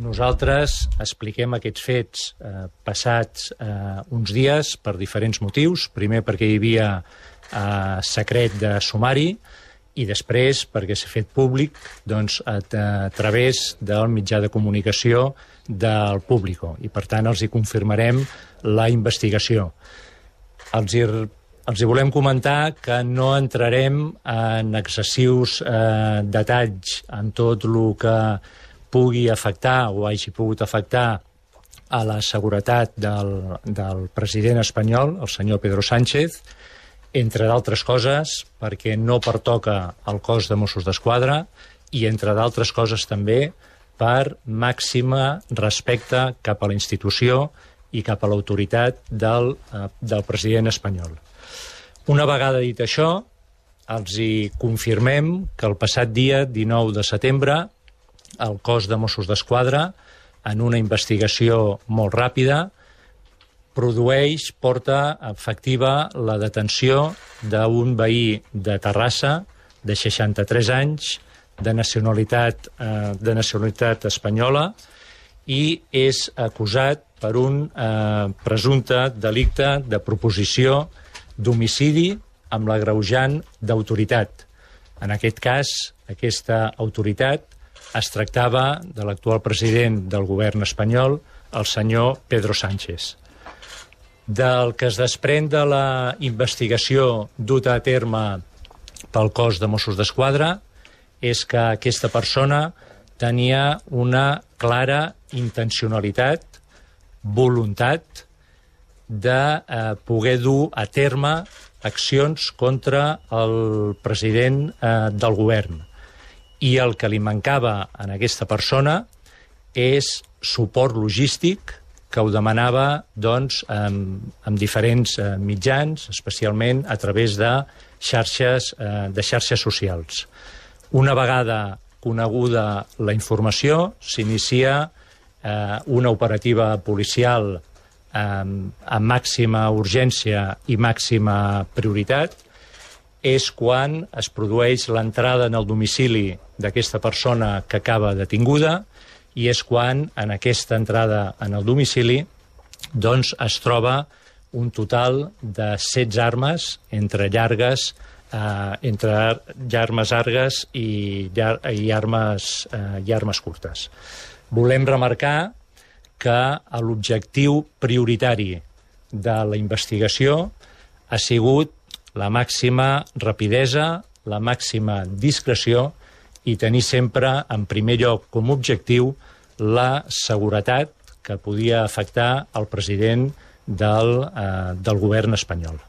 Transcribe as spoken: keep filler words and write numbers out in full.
Nosaltres expliquem aquests fets eh, passats eh, uns dies per diferents motius. Primer perquè hi havia eh, secret de sumari i després perquè s'ha fet públic doncs, a, a través del mitjà de comunicació del Público i per tant els hi confirmarem la investigació. Els hi, els hi volem comentar que no entrarem en excessius eh, detalls en tot el que pugui afectar o hagi pogut afectar a la seguretat del, del president espanyol, el senyor Pedro Sánchez, entre d'altres coses perquè no pertoca al cos de Mossos d'Esquadra i entre d'altres coses també per màxima respecte cap a la institució i cap a l'autoritat del, eh, del president espanyol. Una vegada dit això, els hi confirmem que el passat dia dinou de setembre el cos de Mossos d'Esquadra, en una investigació molt ràpida, produeix, porta efectiva la detenció d'un veí de Terrassa de seixanta-tres anys, de nacionalitat, eh, de nacionalitat espanyola, i és acusat per un eh, presumpte delicte de proposició d'homicidi amb l'agreujant d'autoritat. En aquest cas, aquesta autoritat es tractava de l'actual president del govern espanyol, el senyor Pedro Sánchez. Del que es desprèn de la investigació duta a terme pel cos de Mossos d'Esquadra és que aquesta persona tenia una clara intencionalitat, voluntat de eh, poder dur a terme accions contra el president eh, del govern. I el que li mancava a aquesta persona és suport logístic que ho demanava doncs, amb, amb diferents eh, mitjans, especialment a través de xarxes, eh, de xarxes socials. Una vegada coneguda la informació, s'inicia eh, una operativa policial eh, amb màxima urgència i màxima prioritat. És quan es produeix l'entrada en el domicili d'aquesta persona que acaba detinguda i és quan, en aquesta entrada en el domicili, doncs es troba un total de setze armes, entre llargues, eh, entre armes llargues i, llar i, armes, eh, i armes curtes. Volem remarcar que l'objectiu prioritari de la investigació ha sigut la màxima rapidesa, la màxima discreció i tenir sempre en primer lloc com a objectiu la seguretat que podia afectar el president del, eh, del govern espanyol.